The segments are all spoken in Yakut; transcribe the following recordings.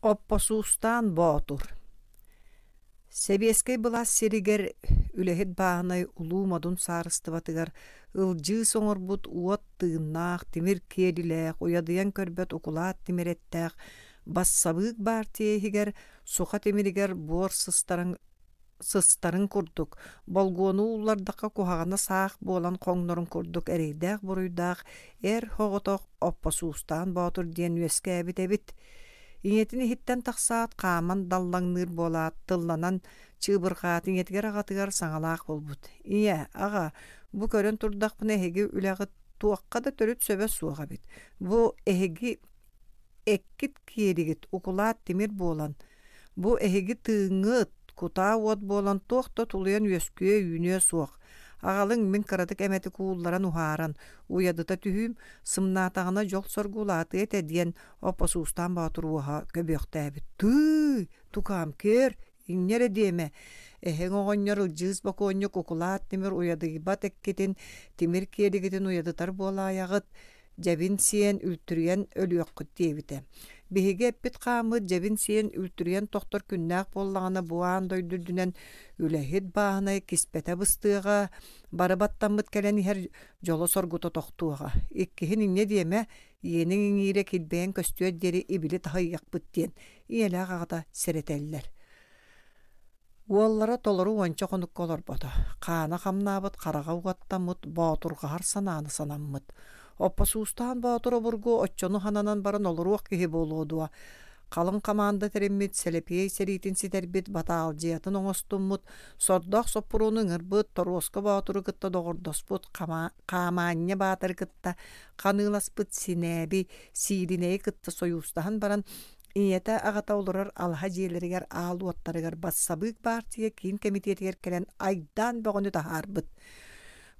Оппосуустаан Боотур Сэбиэскэй былаас сиригэр үлэһит бааһынай улуу модун саарыстыбатыгар ылдьыыс оҥорбут уот тыыннаах, тимир киэлилээх, уйадыйан көрбөт укулаат тимир эттээх бассабыык баартыйа иһигэр суха тимиригэр буор сыстарын сыстарын курдук, болгуону ууллардахха куһаҕана саах буолан хоҥнорун курдук эрэйдээх-буруйдаах эр соҕотох Оппосуустаан Боотур диэн үөскээбит эбит. Ийэтин иһиттэн тахсаат, хааман даллаҥныыр буолаат, тылланан чыыбырҕаат ийэтигэр аҕатыгар саҥалаах буолбут: «Ийэ, аҕа, бу көрөн турдахпына эһиги үлэҕит туохха да төрүт сөбө суох эбит. Бу эһиги эккит киэригит укулаат тимир буолан, Бу эһиги тыыҥҥыт, кутаа уот буолан туох да тулуйан үөскүө-үүнүө суох. Аҕалыҥ мин кыратык эмэтик уулларан уһааран, уйадыта түһүүм, сымнаатаҕына дьол-соргу улаатыа этэ диэн Оппосуустаан Боотур уоһа көбүөхтээбит. Тыый, тукаам, көр, инньэ эрэ диэмэ. Эһэҥ оҕонньор Ылдьыыс бокуонньук укулаат тимир уйадыйбат эккитин, тимир киэлигитин уйадытар буолаайаҕыт, дьэбин сиэн үлтүрүйэн өлүөххүт диэбитэ. Биһиги эппит-хааммыт дьэбин сиэн үлтүрүйэн тохтор күннээх буоллаҕына бу аан дойду үрдүнэн үлэһит бааһынай киспэтэ быстыаҕа, бары баттаммыт кэлэн иһэр дьоло-соргута тохтуоҕа. Иккиһин инньэ диэмэ, иэниҥ иҥиирэ килбэйэн көстүөр диэри ибили таһыйыахпыт диэн ийэлээх аҕата сэрэтэллэр. Уоллара толору уонча хонукка олорбото, хаана хамнаабыт, хараҕа угаттаммыт, боотурҕаһар санааны санаммыт. Оппосуустаан Боотур обургу оччону хананан баран олоруох киһи буолуо дуо? Халыҥ хамаанда тэриммит, сэлэпиэй сэриитин ситэрбит, батаалдьыйатын оҥостуммут, сордоох соппуруону ыҥырбыт, Торуоска Боотуру кытта доҕордоспут, Хаамаанньа Баатыры кытта ханыыласпыт Синээби, Сииринэйи кытта сойуустаһан баран Ийэтэ, аҕата олорор алаһа дьиэлэригэр аал уоттарыгар бассабыык баартыйа киин кэмитиэтигэр кэлэн айдаан бөҕөнү таһаарбыт.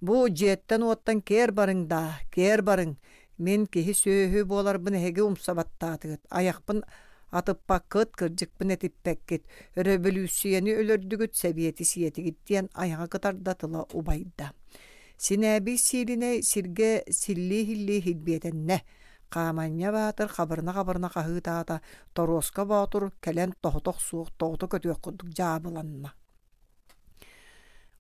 «Бу дьиэттэн-уоттан киэр барыҥ даа, киэр барыҥ! Мин киһи-сүөһү буоларбын эһиги умса баттаатыгыт, айахпын атыппаккыт, кырдьыкпын этиппэккит, өрөбөлүүссүйэни өлөрдүгүт, сэбиэти сиэтигит» диэн айаҕа кытарда тыла убайда. Синээбий сиилинэй сиргэ силлии-иһиллии иһилбиэтэннэ. Хааманньа Баатыр хабырына-хабырына хаһыытаата, Торуоска Боотур кэлэн тоһутох суох тоҕута көтүөх курдук дьаабыланна.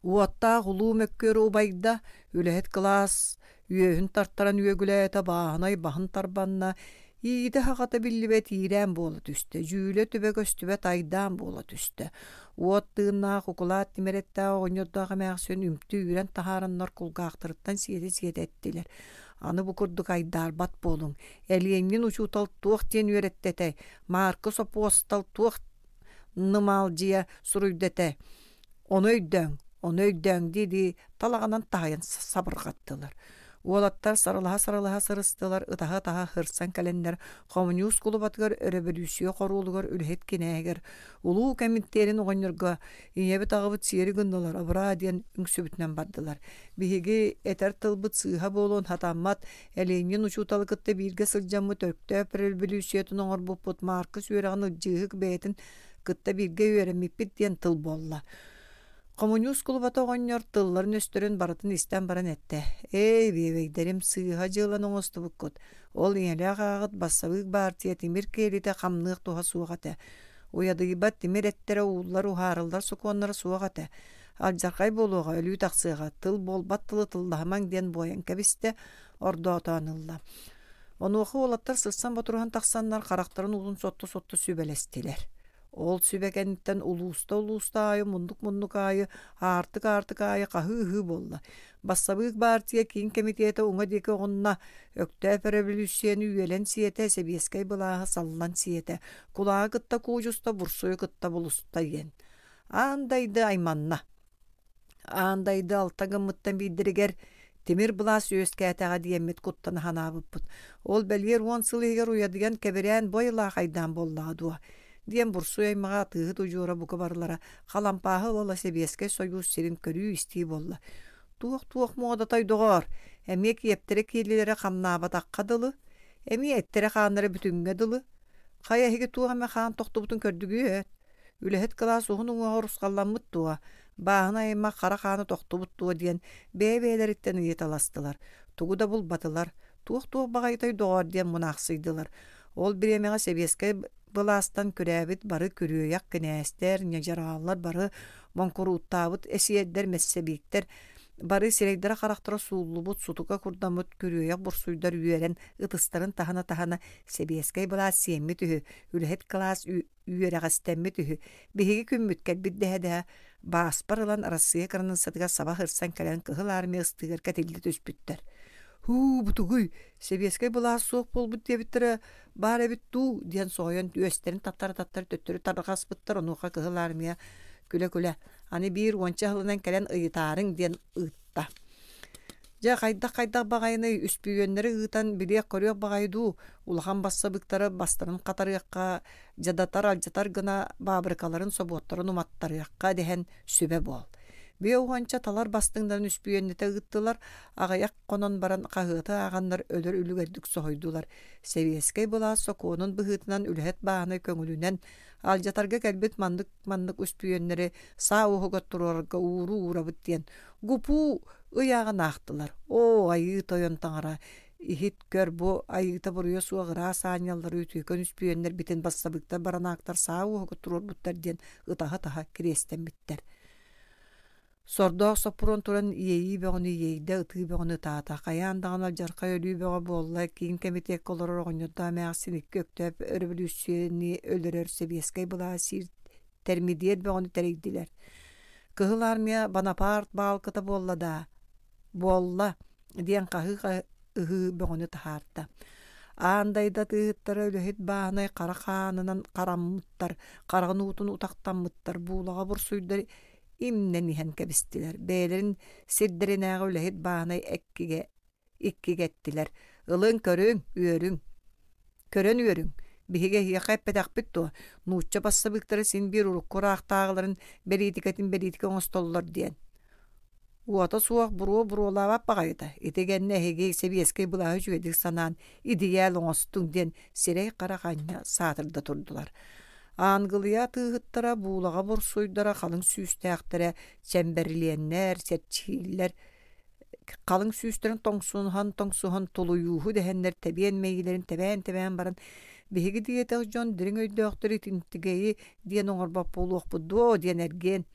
Уоттаах улуу мөккүөрү убайда, үлэһит кылаас үөһүн тартаран үөгүлээтэ, бааһынай баһын тарбанна, иитэ-аһаҕата биллибэт иирээн буола түстэ, дьүүлэ-түбэ көстүбэт айдаан буола түстэ. Уот тыыннаах укулаат тимирэттээх оҕонньордоох эмээхсин үмтү үүрэн таһаараннар кулгаахтарыттан сиэтэ-сиэтэ эттилэр. Аны бу курдук айдаарбат буолуҥ. Элиэнньин учуутал туох диэн үөрэттэ этэй? Мааркы сопуостал туох нымаалдьыйа суруйда этэ? Ону өйдөөҥ, ону өйдөөҥ дии-дии талаҕынан таһыйан сабырҕаттылар. Уолаттар сарылаһа-сарылаһа сырыстылар, ытаһа-ытаһа сырсан кэлэннэр хомуньуус кулубатыгар өрөбөлүүссүйэ хоруолугар үлэһит кинээһигэр улуу кэмитиэрин оҕонньорго ийэбит-аҕабыт сиэри гыннылар абыраа диэн үҥсүбүтүнэн бардылар. Биһиги этэр тылбыт сыыһа буолуон сатаммат, Элиэнньин учууталы кытта бииргэ сылдьаммыт Өктөөп өрөбөлүүссүйэтин оҥорбуппут Мааркыс үөрэҕин Ылдьыыһык бэйэтин кытта бииргэ үөрэммиппит диэн тыл буолла. Хомуньуус кулубата оҕонньор тылларын-өстөрүн барытын истэн баран эттэ: «Эй, биэбэйдэрим, сыыһа дьыаланы оҥостубуккут. Ол ийэлээх аҕаҕыт бассабыык баартыйа тимир киэлитэ хамныах туһа суох этэ. Уйадыйбат тимир эттэрэ ууллар уһаарыллар сокуоннара суох этэ. Алдьархай буолуоҕа, өлүү тахсыаҕа, тыл буолбат тылы тыллаһымаҥ диэн буойан кэбистэ, ордоотоон ылла. Онуоха уолаттар сырсан-ботуруһан тахсаннар харахтарын уутун сотто-сотто сүбэлэстилэр. Ол сүбэ кэнниттэн улууста-улууста аайы, муннук-муннук аайы, аартык-аартык аайы хаһыы-ыһыы буолла. Бассабыык баартыйа киин кэмитиэтэ уҥа диэки оҕунна, Өктөөп өрөбөлүүссүйэни үөлэн сиэтэ, сэбиэскэй былааһы саллан сиэтэ, кулааҕы кытта куудьуста, бурсуйу кытта булуста диэн. Аан дайды айманна. Аан дайды алта гыммыттан биирдэригэр тимир былаас үөскээтэҕэ диэммит куттана санаабыппыт. Ол бэлиэр уон сыл иһигэр уйадыйан кэбирээн бу айылаах айдаан буоллаҕа дуо? диэн бурсуй аймаҕа атыыһыт удьуора бука барылара халампааһы ыла-ыла Сэбиэскэй Сойуус сирин көрүү-истии буолла. Туох-туох муодатай доҕоор, эмиэ киэптэрэ киэлилэрэ хамнаабатахха дылы, эмиэ эттэрэ-хааннара бүтүҥҥэ дылы. Хайа эһиги туох эмэ хаан тохтубутун көрдүгүөт? Үлэһит кылаас уһун уҥуоҕа урусхалламмыт дуо, бааһынай аймах хара хаана тохтубут дуо диэн бэйэ-бэйэлэриттэн ыйыталастылар, тугу да булбатылар, туох-туох баҕайытай доҕоор диэн мунаахсыйдылар. Ол бириэмэҕэ сэбиэскэй былаастан күрээбит бары күрүөйэх кинээстэр, ньадьарааллар бары моҥкурууттаабыт эсиэрдэр, мэссэбииктэр бары сирэйдэрэ-харахтара сууллубут, сутука курдаммыт күрүөйэх бурсуйдар үөрэн ытыстарын таһына-таһына сэбиэскэй былаас сиэммит үһү, үлэһит кылаас үөрэҕэстэммит үһү, биһиги күммүт кэлбит дэһэ-дэһэ бааспар ылан Арассыыйа кыраныыссатыгар саба сырсан кэлэн Кыһыл Армия ыстыыгар кэтиллэ түспүттэр. «Һуу, бутугуй, сэбиэскэй былаас суох буолбут диэбиттэрэ баар эбит дуу» диэн соһуйан үөстэрин таттара-таттара төттөрү тарҕаспыттар, онуоха Кыһыл Армия күлэ-күлэ «Аны биир уонча сылынан кэлэн ыйытаарыҥ» диэн ыытта. Дьэ, хайдах-хайдах баҕайыный, үспүйүөннэри ыытан билиэх-көрүөх баҕайы дуу, улахан бассабыыктары бастарын хатарыахха, дьадатар-алдьатар гына баабырыкаларын, собуоттарын уматтарыахха дэһэн сүбэ буол. Биэ уонча талар бастыҥнарын үспүйүөннэтэ ыыттылар, аҕыйах хонон баран хаһыаты ааҕаннар өлөр үлүгэрдик соһуйдулар. Сэбиэскэй былаас сокуонун быһыытынан үлэһит бааһынай көҥүлүнэн алдьатарга кэлбит маннык-маннык үспүйүөннэри саа уоһугар туруорарга ууруу уурабыт диэн Гупуу ыйааҕын аахтылар: «Оо, айыы тойон таҥара, иһит көр, бу айыыта-буруйа суох ыраас аанньаллары үтүөкэн үспүйүөннэрбитин бассабыыктар баранаактар саа уоһугар туруорбуттар» диэн ытаһа-ытаһа кириэстэммиттэр. Сордоох Соппуруон туран иэйии бөҕөнү иэйдэ, ытыы бөҕөнү ытаата. Хайаан даҕаны алдьархай өлүү бөҕө буолла, киин кэмитиэккэ олорор оҕонньордоох эмээхсин икки Өктөөп өрөбөлүүссүйэни өлөрөр сэбиэскэй былаас сиир тэрмидиэр бөҕөнү тэрийдилэр. Кыһыл Армия Бонапарт баалкыта буолла даа, буолла диэн хаһыы-ыһыы бөҕөнү таһаарда. Аан дайда атыыһыттара үлэһит бааһынай хара хаанынан хараммыттар, хараҕын уутун утахтаммыттар, буулаҕа бурсуйдар имнэн иһэн кэбистилэр. Бэйэлэрин сирдэринээҕи үлэһит бааһынай эккигэ иккигэ эттилэр: «Ылыҥ, көрүҥ, үөрүҥ, көрөн үөрүҥ, биһиги эһиэхэ эппэтэхпит дуо, нуучча бассабыыктара син биир урукку ыраахтааҕыларын бэлиитикэтин бэлиитикэ оҥостоллор диэн. Уота суох буруо буруолаабат баҕайыта, ити гэннэ эһиги сэбиэскэй былааһы үчүгэйдик санаан идийээл оҥостуҥ» диэн сирэй-харах анньа саатырда турдулар. Аангылыйа атыыһыттара, буулаҕа бурсуйдара, халыҥ сүүстээхтэрэ, чэмбэрлиэннэр, чэрчииллэр Халыҥ сүүстэрин тоҥсуһан-тоҥсуһан тулуйууһу дэһэннэр тэбиэн мэйиилэрин тэбээн-тэбээн баран «Биһиги диэтэх дьон дириҥ өйдөөхтөр итинтигэйи диэн оҥорбот буолуохпут дуо?» диэн эргиэн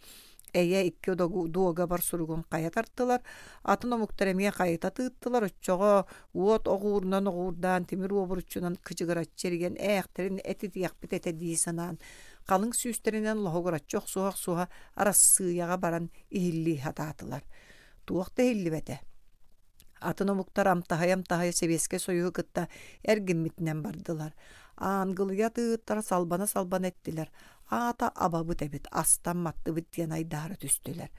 эйэ икки дуогабар суругун хайа тартылар, атын омуктар эмиэ хайыта тыыттылар, оччоҕо уот оҕуурунан оҕуурдаан, тимир уобуруччунан кычыгыраччы эрийэн ээхтэрин этитиэхпит этэ дии санаан, халыҥ сүүстэринэн лоһугураччы охсуһа-охсуһа Арассыыйаҕа баран иһиллии сатаатылар. Туох да иһиллибэтэ. Атын омуктар амтаһыйа-амтаһыйа Сэбиэскэй Сойууһу кытта эргиммитинэн бардылар. Аангылыйа атыыһыттара салбана-салбана эттилэр: «Аата абабыт эбит, астан маттыбыт» диэн айдаара түстүлэр.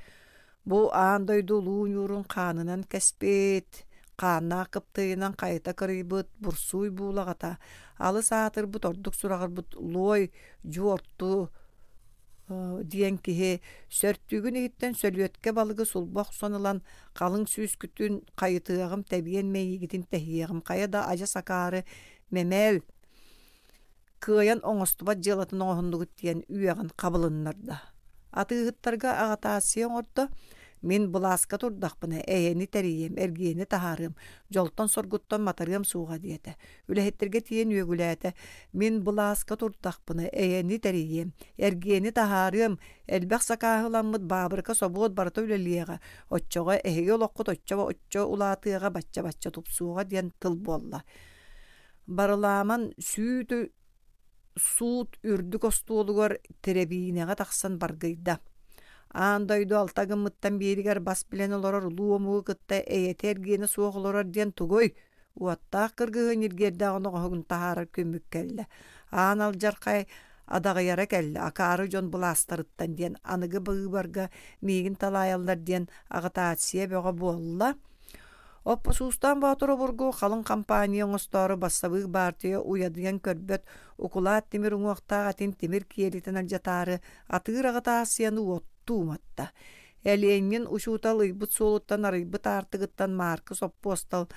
Бу аан дойду улуу ньуурун хаанынан кэспит, хааннаах кыптыыйынан хайыта кырыйбыт бурсууй буулаҕата, алыс аатырбыт ордук сураҕырбыт луой дьуорту диэн киһи сөртүүгүн иһиттэн сөлүөткэ балыгы сулба охсон ылан халыҥ сүүскүтүн хайытыаҕым тэбиэн мэйиигитин тэһиэҕим хайа да адьас акаары мэмээл кыайан оҥостубат дьыалатын оҥоһуннугут диэн үөҕэн хабылыннарда атыыһыттарга аҕытаассыйа оҥордо мин былааска турдахпына эйэни тэрийиэм эргиэни таһаарыам дьолтон-соргуттан матарыам суоҕа диэтэ Үлэһиттэргэ тиийэн үөгүлээтэ: «Мин былааска турдахпына, эйэни тэрийиэм, эргиэни таһаарыам, элбэх сакааһыламмыт баабырыка собуот барыта үлэлиэҕэ, оччоҕо эһиги олоххут оччо-оччо улаатыаҕа, бачча-бачча тупсуоҕа» диэн тыл буолла. Барылааман сүүтү суут үрдүк остуолугар тэрэбиинэҕэ тахсан баргыйда. Аан дойду алта гыммыттан бииригэр бас билэн олорор улуу омугу кытта эйэтэ-эргиэнэ суох олорор диэн тугуй? Уоттаах кыргыһыы ньиргиэрдээх оноҕоһун таһаарар күммүт кэллэ. Аан алдьархай адаҕыйара кэллэ, акаары дьон былаастарыттан диэн аныгы быыбарга миигин талаайаллар диэн аҕытаассыйа бөҕө буолла. Оппосуустаан Боотур обургу халыҥ хампааньа оҥостоору бассабыык баартыйа уйадыйан көрбөт укулаат тимир уҥуохтаах этин тимир киэлитин алдьатаары атыыр аҕытаассыйаны уоттуу уматта. Элиэнньин учуутал ыйбыт суолуттан арыйбыт аартыгыттан Мааркыс Оппуостал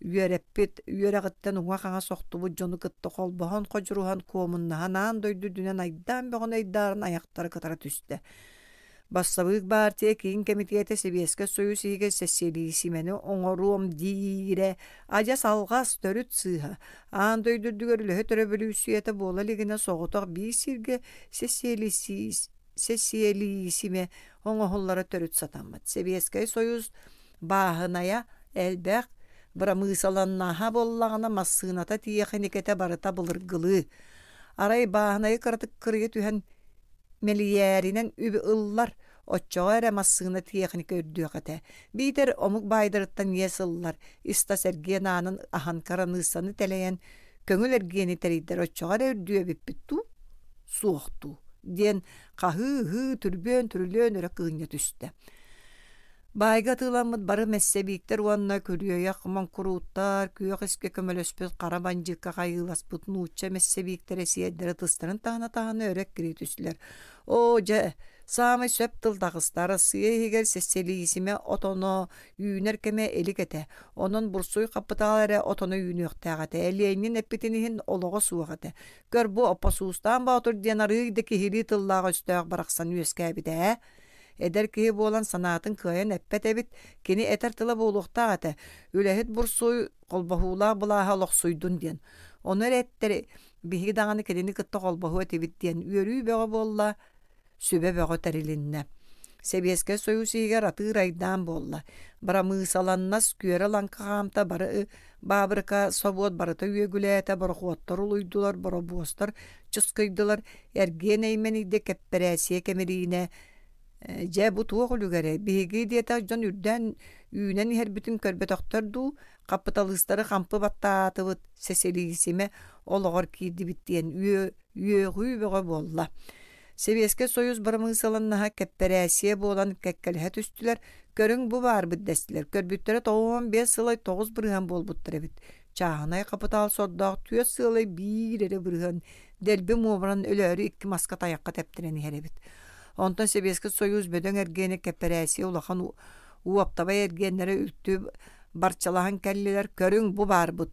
үөрэппит үөрэҕиттэн уҥа-хаҥас охтубут дьону кытта холбоһон ходьуруһан куомуннаһан аан дойду үрдүнэн айдаан бөҕөнү айдааран айахтара кытара түстэ. Бассабыык баартыйа киин кэмитиэтэ Сэбиэскэй Сойуус иһигэр сэссиэлиисимэни оҥоруом диирэ адьас алҕас, төрүт сыыһа. Аан дойду үрдүгэр үлэһит өрөбөлүүссүйэтэ буола илигинэ соҕотох биир сиргэ сэссиэлиисимэ оҥоһуллара төрүт сатаммат. Сэбиэскэй Сойуус бааһынайа элбэх, бырамыысаланнаһа буоллаҕына массыыната тиэхиникэтэ барыта былыргылыы. Арай бааһынайы кыратык кырыйа түһэн мэлийээринэн үбү ыллар, оччоҕо эрэ массыына тиэхиникэ үрдүөх этэ. Биитэр омук баайдарыттан иэс ыллар, ис-тас эргиэн аанын аһан кыраныыссаны тэлэйэн көҥүл эргиэни тэрийдэр оччоҕо эрэ үрдүө эбиппит дуу, суох дуу диэн хаһыы-ыһыы түрбүөн-түрүлүөн өрө кыынньа түстэ. Баайга атыыламмыт бары мэссэбииктэр уонна күрүөйэх моҥкурууттар, күөх искэ көмөлөспүт хара бандьыыкка хайыыласпыт нуучча мэссэбииктэрэ сиэрдэрэ тыстарын таһына-таһына өрө эккирии түстүлэр. Оо, дьэ, саамай сөп тыл таҕыста. Арассыыйа иһигэр сэссэлиисимэ отоно үүнэр кэмэ илик этэ. Онон бурсуй хапытаал эрэ отоно үүнүөхтээх этэ. Ленин эппитин иһин олоҕо суох этэ. Көр, бу Оппосуустаан Боотур диэн арыый да киһилии тыллаах-өстөөх барахсан үөскээбитэ ээ. Эдэр киһи буолан санаатын кыайан эппэт эбит, кини этэр тыла буолуохтаах этэ, үлэһит бурсуй холбоһуулаах былааһа олохсуйдун диэн. Ону эрэ эттэр биһиги даҕаны кинини кытта холбоһуо этибит диэн үөрүү бөҕө буолла, сүбэ бөҕө тэрилиннэ. Сэбиэскэй Сойуус иһигэр атыыр айдаан буолла. Бырамыысаланнас күөрэ-лаҥкы хаамта бары баабырыка, собуот барыта үөгүлээтэ, борохуоттар улуйдулар, боробуостар чыскыйдылар, эргиэн эймэнийдэ кэппэрээссийэ кэмириинэ дьэ бу туох үлүгэрэй биһиги диэтэх дьон үрдээн үүнэн иһэрбитин көрбөтөхтөр дуу хапыталыыстары хампы баттаатыбыт сэсилиисимэ олоҕор киирдибит диэн үөҕүү бөҕө буолла Сэбиэскэй Сойуус бырамыысыланнаһа кэппэрээссийэ буолан кэккэлэһэ түстүлэр, көрүҥ бу баарбыт дэстилэр. Көрбүттэрэ 95 сылай 9% буолбуттар эбит. Чааһынай хапытаал сордоох түөрт сыалай биир эрэ бырыһыан дэлби муомуран өлөөрү икки маска тайахха тэптэрэн иһэр эбит. Онтон Сэбиэскэй Сойуус бөдөҥ эргиэнэ кэппэрээссийэ улахан уоптабай эргиэннэрэ үлтү барчалаһан кэллилэр, көрүҥ бу баарбыт,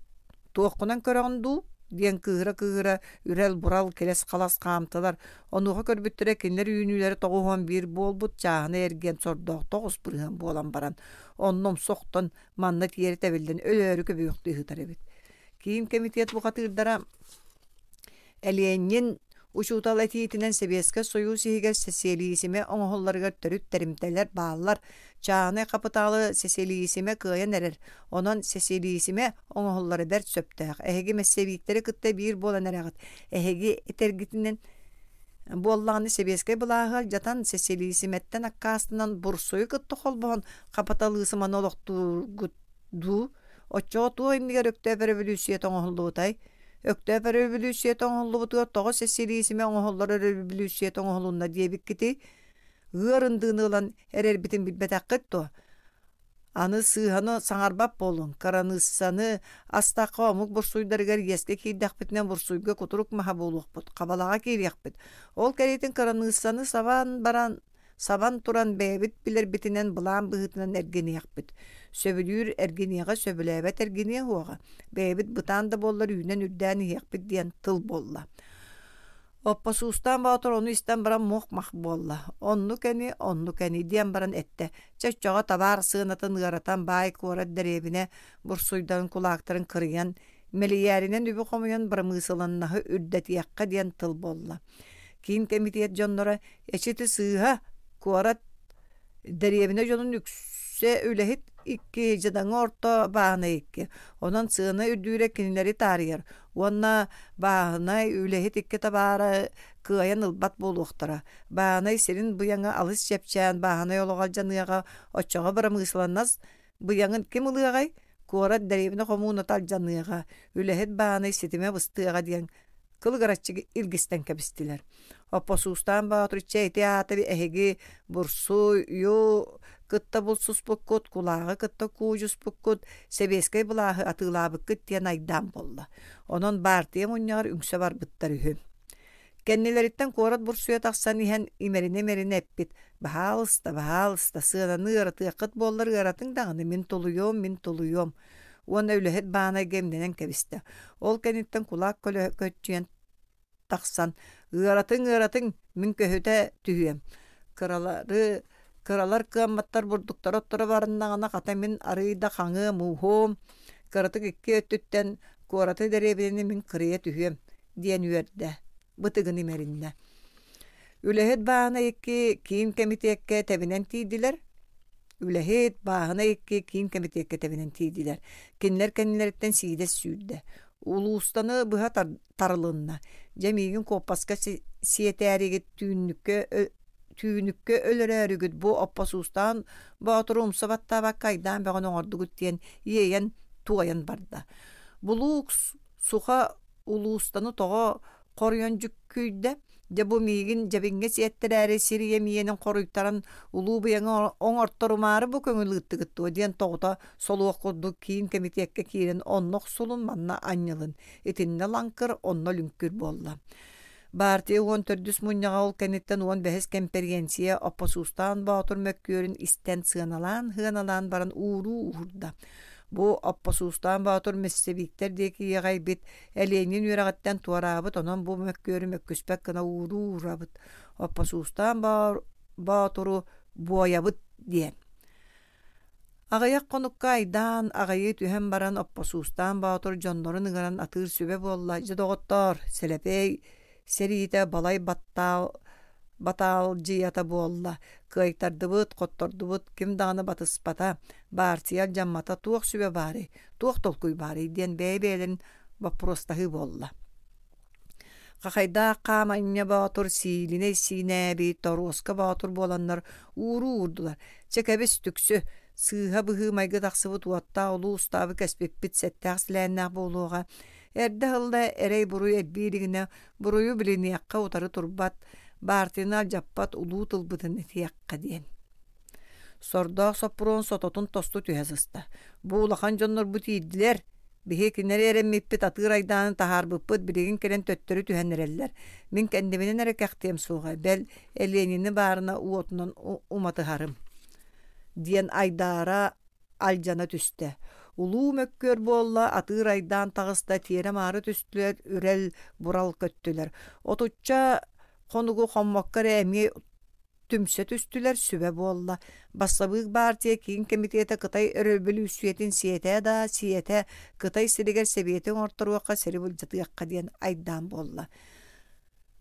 туоххунан көрөҕүн дуу диэн кыыһыра-кыыһыра үрэл-бурал килэс-халас хаамтылар. Онуоха көрбүттэрэ кинилэр үүнүүлэрэ 91 буолбут чааһынай эргиэн сордоох 9% буолан баран, онно умса охтон манна тиэрэ тэбиллэн өлөөрү көбүөхтүү ыһытар эбит. Киин кэмитиэт бухатыырдара Элиэнньин учуутал этиитинэн Сэбиэскэй Сойуус иһигэр сэсиэлиисимэ оҥоһулларыгар төрүт тэримтэлэр бааллар. Чааһынай хапытаалы сэсиэлиисимэ кыайан эрэр, онон сэсиэлиисимэ оҥоһуллара бэрт сөптөөх. Эһиги мэссэбииктэри кытта биир буолан эрэҕит. Эһиги этэргитинэн буоллаҕына сэбиэскэй былааһы алдьатан, сэсиэлиисимэттэн аккаастанан бурсуйу кытта холбоһон хапыталыысыманы олохтуургут дуу? Оччоҕо туох иннигэр Өктөөп өрөбөлүүссүйэтэ оҥоһуллубутай? Өктөөп өрөбөлүүссүйэтэ оҥоһуллубутугар тоҕо сэссилиисимэ оҥоһуллар өрөбөлүүссүйэтэ оҥоһулунна диэбиккитий? Ыар ындыыны ылан эрэрбитин билбэтэххит дуо? Аны сыыһаны саҥарбат буолуҥ, кыраныыссаны астахха омук бурсуйдарыгар иэскэ киирдэхпитинэ бурсуйга кутурук маһа буолуохпут, хабалаҕа киириэхпит. Ол кэриэтин кыраныыссаны сабан баран сабан туран бэйэбит билэрбитинэн былаан быһыытынан эргиниэхпит. Сөбүлүүр эргиниэҕэ, сөбүлээбэт эргиниэ суоҕа. Бэйэбит бытаан да буоллар үүнэн-үрдээн иһиэхпит диэн тыл буолла. Оппосуустаан Боотур ону истэн баран муох-мах буолла. Оннук ини, оннук ини диэн баран эттэ. Чэ оччоҕо табаар сыанатын ыаратан баай куорат дэриэбинэ бурсуйдарын кулаактарын кырыйан, мэлийээринэн үбү хомуйан бырамыысыланнаһы үрдэтиэххэ диэн тыл буолла. Киин кэмитиэт дьонноро эчи ити сыыһа, куорат дэриэбинэ дьонун үксэ үлэһит икки, дьадаҥы орто бааһынай икки. Онон сыана үрдүүрэ кинилэри таарыйар уонна бааһынай үлэһит икки табаара кыайан ылбат буолуохтара. Бааһынай сирин быйаҥа алыс чэпчээн бааһынай олоҕо алдьаныаҕа, оччоҕо бырамыысыланнас Быйаҥын ким ылыаҕай? Куорат дэриэбинэ хомууната алдьаныаҕа, үлэһит баанай ситимэ быстыаҕа диэн кылыгыраччы илгистэн кэбистилэр. Оппосуустаан Боотур чэ ити аата эһиги бурсуйу кытта булсуспуккут, кулааҕы кытта куудьуспуккут, сэбиэскэй былааһы атыылаабыккыт диэн айдаан буолла. Онон баартыйа мунньаҕар үҥсэ барбыттар үһү. Кэннилэриттэн куорат бурсуйа тахсан иһэн имэринэ-имэринэ эппит: «Баһаалыста, баһаалыста, сыананы ыаратыаххыт буоллар ыаратыҥ даҕаны, мин тулуйуом, мин тулуйуом» уонна үлэһит баанайга имнэнэн кэбистэ. Ол кэнниттэн кулаак көччүйэн тахсан «Ыаратыҥ, ыаратыҥ, мин көһүтэ түһүөм. Кыралары кыралар кыамматтар бурдуктара отторо барыннаҕына хата мин арыый да хаҥыам ууһуом, кыратык икки өттүттэн куораты дэриэбинэни мин кырыйа түһүөм диэн үөрдэ, бытыгын имэриннэ. Үлэһит баана икки киин кэмитиэккэ тэбинэн тиийдилэр. Үлэһит бааһына икки киин кэмитиэккэ тэбинэн тиийдилэр. Кинилэр кэннилэриттэн сиидэс сүүрдэ. Улуустаны быһа тарылынна. Дьэ миигин куоппаска сиэтээригит түүннүккэ түүнүккэ өлөрөөрүгүт бу оппосуустаан боотуру умса баттаабакка айдаан бөҕөнү оҥордугут диэн иэйэн туойан барда. Булуук суха улуустаны тоҕо хоруйан дьүккүйдэ. Дьэ бу миигин дьэбиҥҥэ сиэттэрээри сир ийэм иэнин хоруйтаран улуу быйаҥы оҥорторумаары бу көҥүл ыыттыгыт дуо диэн тоҕута солуох курдук киин кэмитиэккэ киирэн онно охсулун манна анньылын итиннэ лаҥкыр онно лүҥкүр буолла. Баартыйа уон төрдүс мунньаҕа ол кэнниттэн уон бэһис кэмпэриэнсийэ Оппосуустаан Боотур мөккүөрүн истэн сыаналаан-сыаналаан баран ууруу уурда. Бу Оппосуустаан Боотур мессевиктэр диэки иэҕэйбит Элиэнньин үөрэҕиттэн туораабыт, онон бу мөккүөрү мөккүспэт гына ууруу уурабыт, Оппосуустаан Боотуру буойабыт диэн. Аҕыйах хонукка айдаан, аҕыйыы түһэн баран Оппосуустаан Боотур дьоннорун ыҥыран атыыр сүбэ буолла: «Дьэ, доҕоттоор, Сэлэпиэй сэриитэ балай баттаал батаалдьыйата буолла, кыайтардыбыт, хоттордубут, ким даҕаны батыспата, баартыйа алдьаммата, туох сүбэ баарый, туох толкуй баарый?» диэн бэйэ-бэйэлэрин боппуруостаһыы буолла. Хахайдаах Хааманньа Боотур сиилинэй сиинээби Торуоска Боотур буоланнар ууруу уурдулар. Чэ кэбис, түксү, сыыһа быһыы-майгы тахсыбыт уоттаах улуу устаабы кэспиппит сэттээх силээннээх буолуоҕа. Эрдэ ыһылла эрэй-буруй элбии илигинэ буруйу билиниэххэ утары турбат, баартыйаны алдьаппат улуу тылбытын этиэххэ диэн. Сордоох Соппуруон сототун тосту түһэ сыста. Бу улахан дьоннорбут иирдилэр. Биһи кинилэри эрэммиппит атыыр айдаанын таһаарбыппыт билигин кэлэн төттөрү түһэн эрэллэр. Мин кэннибинэн эрэ кэхтиэм суоҕа, бэл, Элиэнини баарына уотунан уматыһарым диэн айдаара алдьана түстэ. Улуу мөккүөр буолла, атыыр айдаан таҕыста, тиэрэ-маары түстүлэр, үрэл, бурал көттүлэр. Отучча хонугу хоммокко эрэ эмиэ түмсэ түстүлэр, сүбэ буолла. Бассабыык баартыйа киин кэмитиэтэ Кытай өрөбөлүүссүйэтин сиэтэ да сиэтэ, Кытай сиригэр сэбиэти оҥорторуохха, сири былдьатыахха диэн айдаан буолла.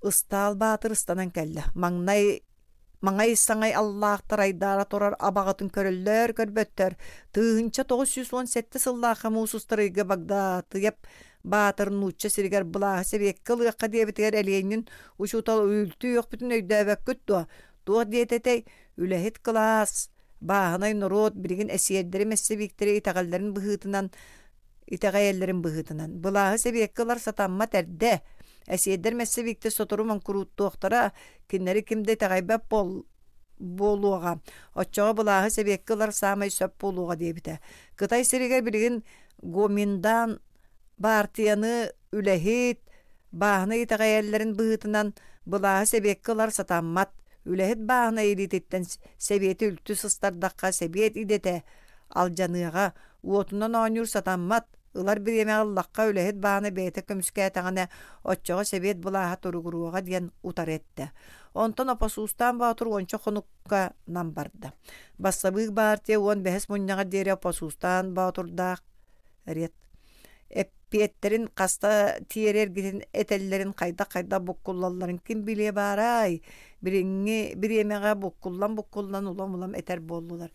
Ыстаал Баатыр ыстанан кэллэ. Маҥнай маҥай саҥай аллаахтар айдаара турар абаҕатын көрөллөр көрбөттөр. 1997 сыллаахха муус устар ыйга Багдаатыйап Баатыр нуучча сиригэр былааһы сэбиэккэ ылыахха диэбитигэр Элиэнньин учуутал үлтү үөхпүтүн өйдөөбөккүт дуо? Туох диэтэтэй? Үлэһит кылаас, бааһынай норуот билигин эсиэрдэри мэссэбииктэри итэҕэллэрин быһыытынан итэҕэйэллэрин быһыытынан былааһы сэбиэккэ ылар сатаммат эрдэ. Эсиэрдэр мэссэбииктэр сотору моҥкурууттуохтара, кинилэри ким да итэҕэйбэт буолуоҕа. Оччоҕо былааһы сэбиэккэ ылар саамай сөп буолуоҕа диэбитэ. Кытай сиригэр билигин Гоминдан баартыйаны үлэһит, бааһынай итэҕэйэллэрин быһыытынан былааһы сэбиэккэ ылар сатаммат. Үлэһит бааһынай илиититтэн сэбиэти үлтү сыстардахха сэбиэт идэтэ алдьаныаҕа, уотунан оонньуур сатаммат, ылар бириэмэҕэ ыллахха үлэһит баана бэйэтэ көмүскээтэҕинэ оччоҕо сэбиэт былааһа туругуруоҕа диэн утары эттэ. Онтон Опосуустаан Боотур уонча хонукка нам барда. Бассабыык баартыйа уон бэһис мунньаҕар диэри Опосуустаан Боотурдаах ред. Эппиэттэрин хаста тиэрэ эргитин этэллэрин хайдах-хайдах буккуллалларын ким билиэ баарай? Билиҥҥи бириэмэҕэ буккуллан-буккуллан улам-улам этэр буоллулар.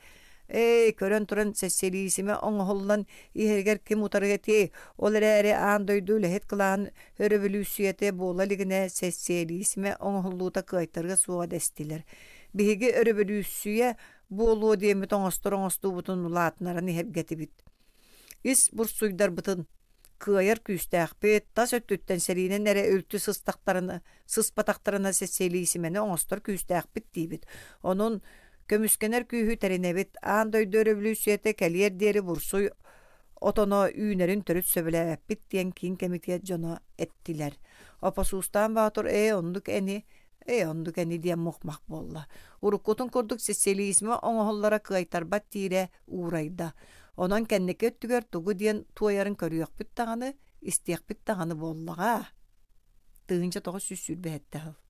Эй, көрөн туран сэссэлиисимэ оҥоһуллан иһэригэр ким утары этиэй? Ол эрээри аан дойду үлэһит кылааһын өрөбөлүүссүйэтэ буола илигинэ сэссийэлиисимэ оҥоһуллуута кыайтарыа суоҕа дэстилэр. Биһиги өрөбөлүүссүйэ буолуо диэммит оҥостор оҥостуубутун улаатыннаран иһэргэтибит. Ис бурсуйдарбытын кыайар күүстээхпит, тас өттүттэн сэриинэн эрэ үлтү сыстахтарына, сыспатахтарына сэссийэлиисимэни оҥостор күүстээхпит диибит. Онон көмүскэнэр күүһү тэринэбит. Аан дойду өрөбөлүүссүйэтэ кэлиэр диэри бурсуй отоно үүнэрин төрүт сөбүлээбэппит диэн киин кэмитиэт дьоно эттилэр. Опосуустаан Боотур ээ оннук эни, ээ оннук эни диэн мух-мах буолла. Уруккутун курдук социализмы оҥоһуллара кыайтарбат диирэ уурайда. Онон кэнники өттүгэр тугу диэн туойарын көрүөхпүт даҕаны, истиэхпит даҕаны буоллаҕа. 1927 сыл.